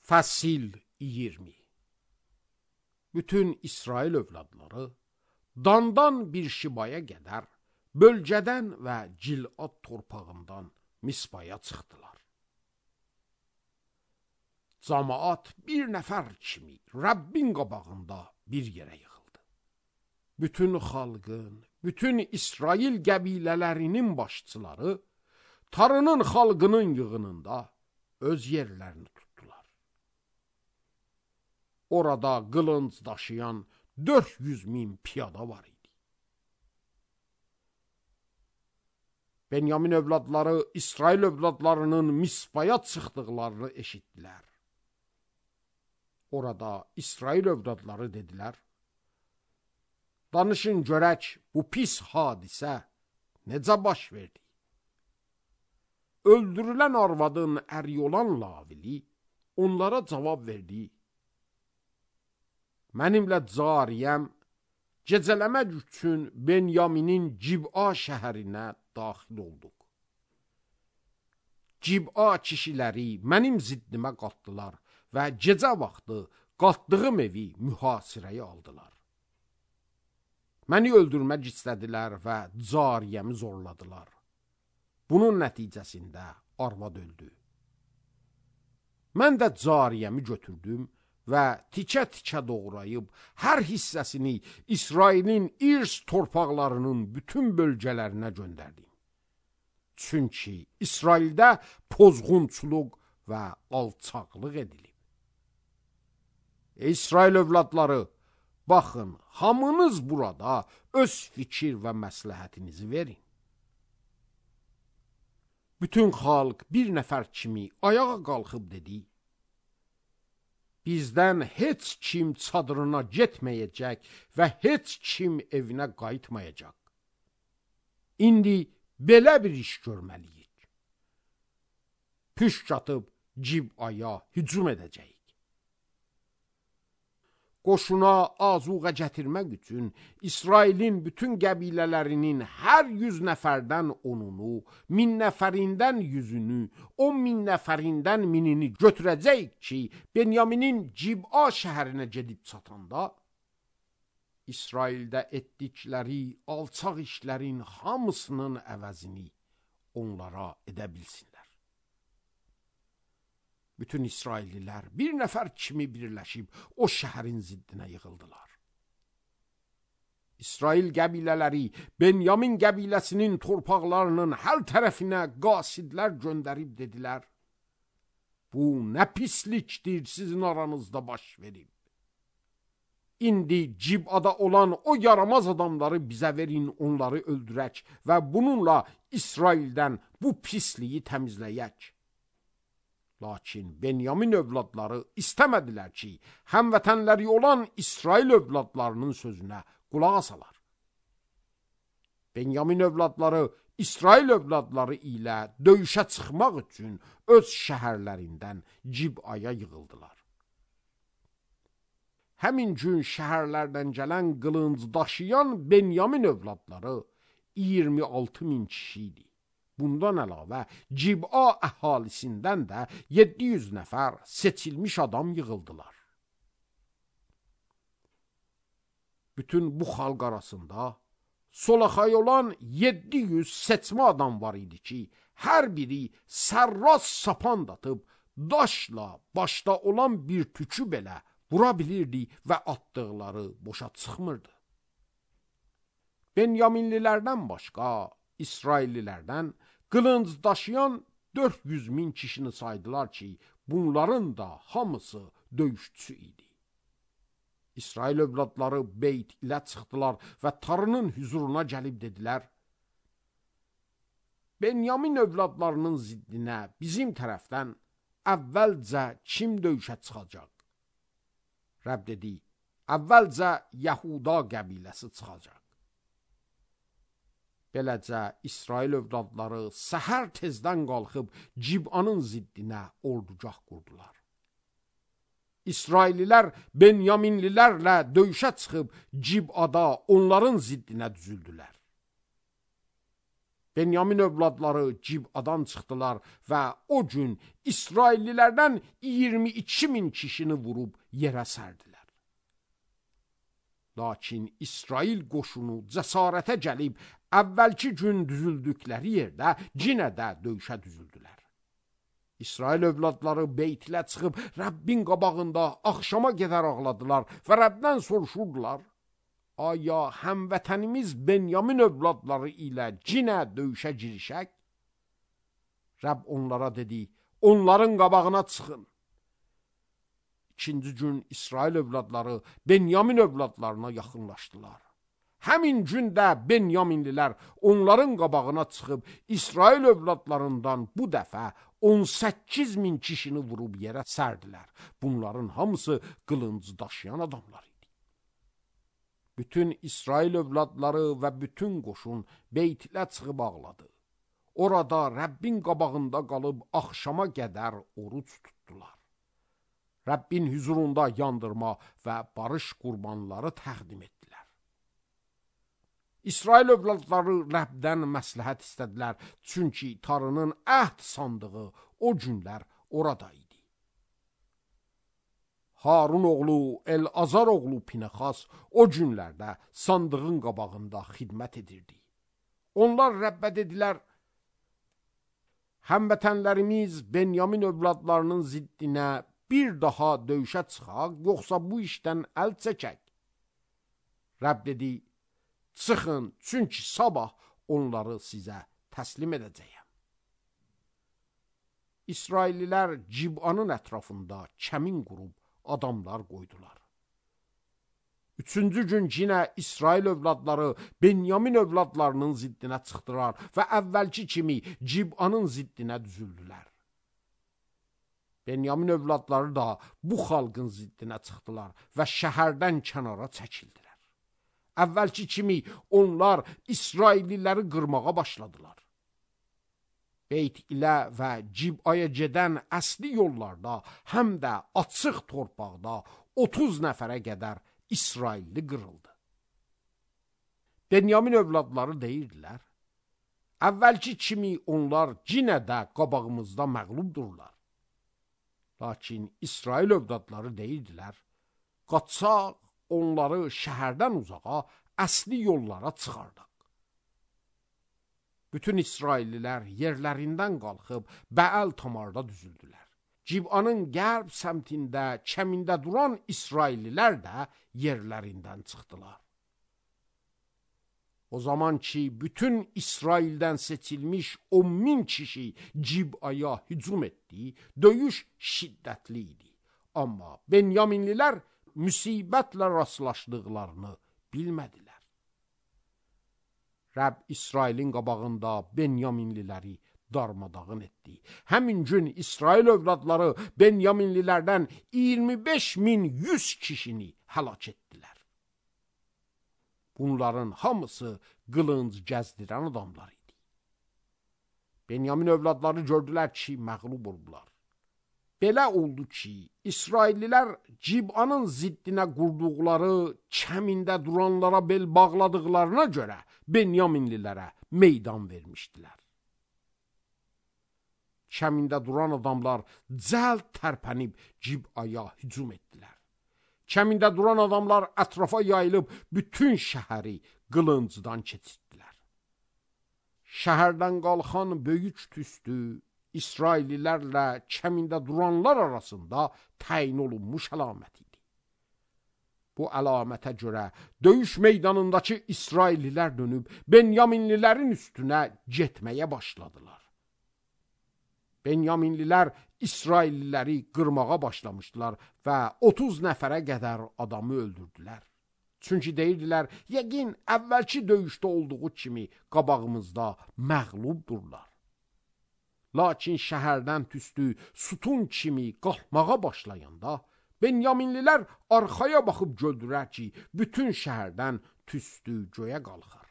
Fəsil 20. Bütün İsrail övladları Dandan bir Şibaya qədər bölgədən və Cilad torpağından Mispaya çıxdılar. Camaat bir nəfər kimi Rəbbin qabağında bir yerə yığıldı. Bütün xalqın, bütün İsrail qəbilələrinin başçıları tarının xalqının yığınında öz yerlərini tutdular. Orada qılınc daşıyan 400.000 piyada var idi. Benyamin övladları İsrail övladlarının Mispaya çıxdıqlarını eşitdilər. Orada İsrail övladları dedilər: danışın görək, bu pis hadisə necə baş verdi? Öldürülən arvadın əri olan Lavili onlara cavab verdi: mənimlə cariyəm gecələmək üçün Benyaminin Cib'a şəhərinə daxil olduq. Cib'a kişiləri mənim ziddimə qalxdılar və gecə vaxtı qalxdığım evi mühasirəyə aldılar. Məni öldürmək istədilər və cariyəmi zorladılar. Bunun nəticəsində arvad öldü. Mən də cariyəmi götürdüm və tikə-tikə doğrayıb hər hissəsini İsrailin irs torpaqlarının bütün bölgələrinə göndərdim. Çünki İsraildə pozğunçuluq və alçaqlıq edilib. Ey İsrail övladları, baxın, hamınız burada öz fikir və məsləhətinizi verin. Bütün xalq bir nəfər kimi ayağa qalxıb dedi: bizdən heç kim çadırına getməyəcək və heç kim evinə qayıtmayacaq. İndi belə bir iş görməliyik. Püşk atıb Cib'aya hücum edəcəyik. Qoşuna azuqa gətirmək üçün İsrailin bütün qəbilələrinin hər 100 nəfərdən 10'unu, 1000 nəfərindən 100'ünü, 10.000 nəfərindən 1000'ini götürəcəyik ki, Benyaminin Cib'a şəhərinə gedib çatanda, İsraildə etdikləri alçaq işlərin hamısının əvəzini onlara edə bilsinlər. Bütün İsraillilər bir nəfər kimi birləşib o şəhərin ziddinə yığıldılar. İsrail qəbilələri Benyamin qəbiləsinin torpaqlarının hər tərəfinə qasidlər göndərib dedilər: bu nə pislikdir sizin aranızda baş verib. İndi Cib'ada olan o yaramaz adamları bizə verin, onları öldürək və bununla İsraildən bu pisliyi təmizləyək. Lakin Benyamin övladları istəmədilər ki, həmvətənləri olan İsrail övladlarının sözünə qulaq asalar. Benyamin övladları İsrail övladları ilə döyüşə çıxmaq üçün öz şəhərlərindən Cib'aya yığıldılar. Həmin gün şəhərlərdən gələn qılınc daşıyan Benyamin övladları 26.000 kişi idi. Bundan əlavə Cib'a əhalisindən də 700 nəfər seçilmiş adam yığıldılar. Bütün bu xalq arasında solaxay olan 700 seçmə adam var idi ki, hər biri sərras sapan atıb daşla başda olan bir tükü belə vura bilirdi və atdıqları boşa çıxmırdı. Benyaminlilərdən başqa İsraillilərdən qılınc daşıyan 400.000 kişini saydılar ki, bunların da hamısı döyüşçü idi. İsrail övladları Beyt ilə çıxdılar və tarının hüzuruna gəlib dedilər: Benyamin övladlarının ziddinə bizim tərəfdən əvvəlcə kim döyüşə çıxacaq? Rəbb dedi: əvvəlcə Yahuda qəbiləsi çıxacaq. Beləcə İsrail övladları səhər tezdən qalxıb Cib'anın ziddinə ordugah qurdular. İsraililər Benyaminlilərlə döyüşə çıxıb Cib'ada onların ziddinə düzüldülər. Benyamin övladları Cib'adan çıxdılar və o gün İsraillilərdən 22.000 kişini vurub yerə sərdilər. Lakin İsrail qoşunu cəsarətə gəlib, əvvəlki gün düzüldükləri yerdə yenə də döyüşə düzüldülər. İsrail övladları beytilə çıxıb Rəbbin qabağında axşama qədər ağladılar və Rəbdən soruşurdular: aya həmvətənimiz Benyamin övladları ilə yenə döyüşə girişək? Rəbb onlara dedi: onların qabağına çıxın. İkinci gün İsrail övladları Benyamin övladlarına yaxınlaşdılar. Həmin gündə Benyaminlilər onların qabağına çıxıb İsrail övladlarından bu dəfə 18.000 kişini vurub yerə sərdilər. Bunların hamısı qılınc daşıyan adamlar idi. Bütün İsrail övladları və bütün qoşun beytilə çıxıb ağladı. Orada Rəbbin qabağında qalıb axşama qədər oruc tutdular. Rəbbin huzurunda yandırma və barış qurbanları təqdim etdilər. İsrail övladları Rəbdən məsləhət istədilər, çünki Tanrının əhd sandığı o günlər orada idi. Harun oğlu El-Azar oğlu Pinəxas o günlərdə sandığın qabağında xidmət edirdi. Onlar Rəbbə dedilər: həmvətənlərimiz Benyamin övladlarının ziddinə bir daha döyüşə çıxaq, yoxsa bu işdən əl çəkək? Rəbb dedi: çıxın, çünki sabah onları sizə təslim edəcəyəm. İsraillilər Cib'anın ətrafında kəmin qurub adamlar qoydular. Üçüncü gün yenə İsrail övladları Benyamin övladlarının ziddinə çıxdılar və əvvəlki kimi Cib'anın ziddinə düzüldülər. Benyamin övladları da bu xalqın ziddinə çıxdılar və şəhərdən kənara çəkildilər. Əvvəlki kimi onlar İsrailliləri qırmağa başladılar. Beyt ilə və Cib'aya gedən əsli yollarda, həm də açıq torpaqda 30 nəfərə qədər İsrailli qırıldı. Benyamin övladları deyirdilər: əvvəlki kimi onlar yenə də qabağımızda məğlubdurlar. Lakin İsrail övladları deyirdilər: qaçaq, onları şəhərdən uzağa, əsli yollara çıxardaq. Bütün İsraillilər yerlərindən qalxıb Bəəl Tamarda düzüldülər. Cib'anın qərb səmtində kəmində duran İsraillilər də yerlərindən çıxdılar. O zaman ki, bütün İsraildən seçilmiş 10.000 kişi Cib'aya hücum etdi, döyüş şiddətli idi. Amma Benyaminlilər müsibətlə rastlaşdıqlarını bilmədilər. Rəbb İsrailin qabağında Benyaminliləri darmadağın etdi. Həmin gün İsrail övladları Benyaminlilərdən 25.100 kişini həlak etdilər. Bunların hamısı qılınc gəzdirən adamlar idi. Benyamin övladları gördülər ki, məğlub oldular. Belə oldu ki, İsraillilər Cib'anın ziddinə qurduqları kəmində duranlara bel bağladıqlarına görə Benyaminlilərə meydan vermişdilər. Kəmində duran adamlar cəld tərpənib Cib'aya hücum etdilər. Kəmində duran adamlar ətrafa yayılıb bütün şəhəri qılıncdan keçirdilər. Şəhərdən qalxan böyük tüstü İsraillilərlə kəmində duranlar arasında təyin olunmuş əlamət idi. Bu əlamətə görə döyüş meydanındakı İsraillilər dönüb Benyaminlilərin üstünə getməyə başladılar. Benyaminlilər İsrailliləri qırmağa başlamışdılar və 30 nəfərə qədər adamı öldürdülər. Çünki deyirdilər, yəqin əvvəlki döyüşdə olduğu kimi qabağımızda məğlubdurlar. Lakin şəhərdən tüstü sütun kimi qalxmağa başlayanda Benyaminlilər arxaya baxıb gördülər ki, bütün şəhərdən tüstü göyə qalxar.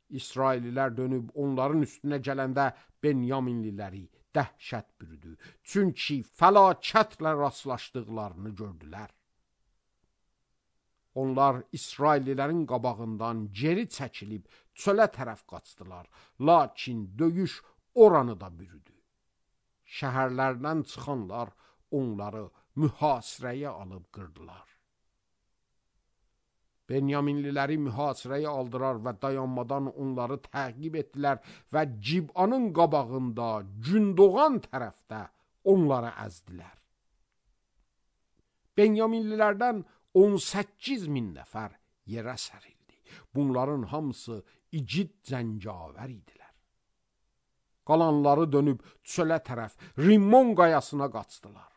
İsraillilər dönüb onların üstünə gələndə Benyaminliləri dəhşət bürüdü. Çünki fəlakətlə rastlaşdıqlarını gördülər. Onlar İsraillilərin qabağından geri çəkilib çölə tərəf qaçdılar. Lakin döyüş oranı da bürüdü. Şəhərlərdən çıxanlar onları mühasirəyə alıb qırdılar. Benyaminliləri mühasirəyə aldırar və dayanmadan onları təqib etdilər və Cib'anın qabağında Gündoğan tərəfdə onları əzdilər. Benyaminlilərdən 18.000 nəfər yerə sərildi. Bunların hamısı igid cəngavər idilər. Qalanları dönüb çölə tərəf Rimmon qayasına qaçdılar.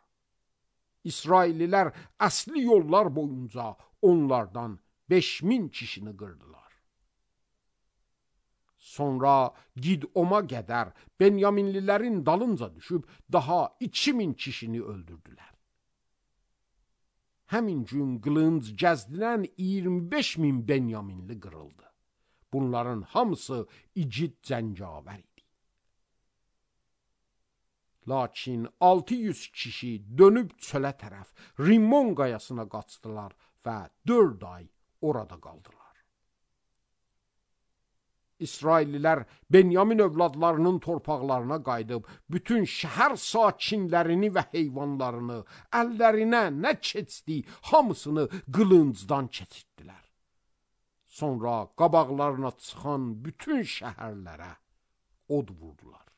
İsraillilər əsli yollar boyunca onlardan 5.000 kişini qırdılar. Sonra Gidoma qədər Benyaminlilərin dalınca düşüb daha 2.000 kişini öldürdülər. Həmin gün qılınc gəzdirən 25.000 Benyaminli qırıldı. Bunların hamısı igid cəngavər idi. Lakin 600 kişi dönüb çölə tərəf Rimmon qayasına qaçdılar və 4 ay orada qaldılar. İsraillilər Benyamin övladlarının torpaqlarına qayıdıb, bütün şəhər sakinlərini və heyvanlarını, əllərinə nə keçdi, hamısını qılıncdan keçirdilər. Sonra qabaqlarına çıxan bütün şəhərlərə od vurdular.